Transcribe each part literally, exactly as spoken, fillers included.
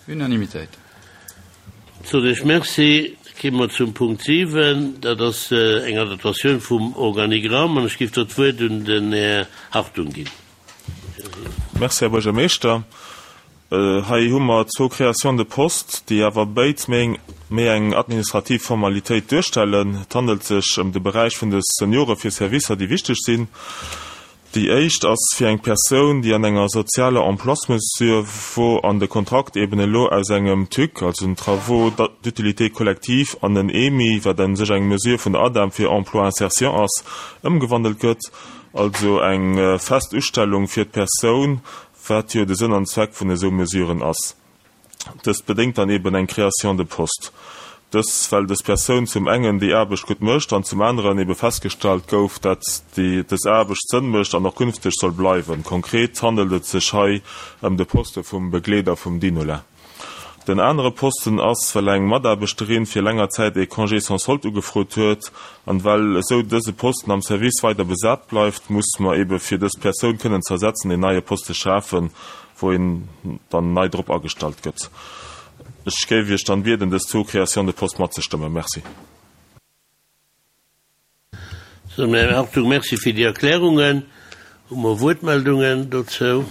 Unanimitéit. Soen ech Merci. Komme mer zum Punkt siwen, dat ass eng Adaptatioun vum Organigramm, an ech géif do d'Wuert un den Här Hartung ginn. Merci, Här Buergermeeschter. Hei hu mer zwou Créations de poste, déi awer béid méi méi eng administrativ Formalitéit duerstellen. Et handelt sech ëm de Beräich vun de Seniore fir Servicer, déi wichteg sinn. Déi éischt ass fir eng Persoun, déi an enger sozialer Emploismesure wor an de Kontrakt eben elo aus engem TUC, also den Travaux d'utilité collective, an en EMI, wat u sech eng Mesure vun der ADEM fir Emploi-insertion ass, ëmgewandelt gëtt, also eng fest Ustellung fir d'Persoun, wat jo de Sënn an Zweck vun esou Mesuren ass. Dëst bedéngt dann eben eng Création de poste. Dës, well dës Persoun zum engen déi Aarbecht gutt mécht an zum aneren ebe festgestallt gouf, dat déi dës Aarbecht Sënn mécht an och künfteg soll bleiwen. Konkret handelt et sech hei ëm de Poste vum Begleeder vum Dinola. Den anere Posten ass, well eng Mataarbechterin fir länger Zäit ee Congé sans solde ugefrot huet an well esou dëse Posten am Service weider besat bleift, muss mer ebe fir dës Persoun kënnen ze ersetzen een neie Poste schafen, wou een dann nei drop agestallt gëtt. Ech géif Iech dann bieden, dës zwou Créations de poste matzestëmmen. Merci. Sou, Här Hartung, Merci fir déi Erklärungen. Hu mer Wuertmeldungen dozou?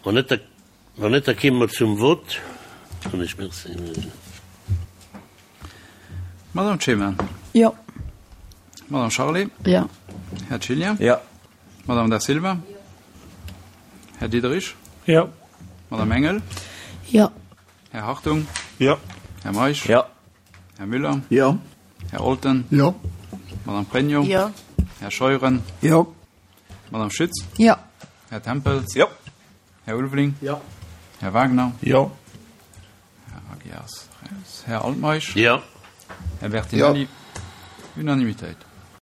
Wann net, da, wann net, da kéime mer zum Vott. An ech merci. Madame Clement. Jo. Madame Charlé. Jo. Här Cillien. Jo. Madame Da Silva. Här Diderich. Jo. Madame Engel. Jo. Här Hartung. Jo. Här Meisch. Jo. Här Müller. Jo. Här Olten. Jo. Madame Pregno. Jo. Här Scheuren. Jo. Madame Schütz. Jo. Här Tempels. Jo. Här Ulveling. Jo. Här Wagner. Jo. Här Agias. Här Altmeisch. Jo. Här Bertinelli. Unanimitéit.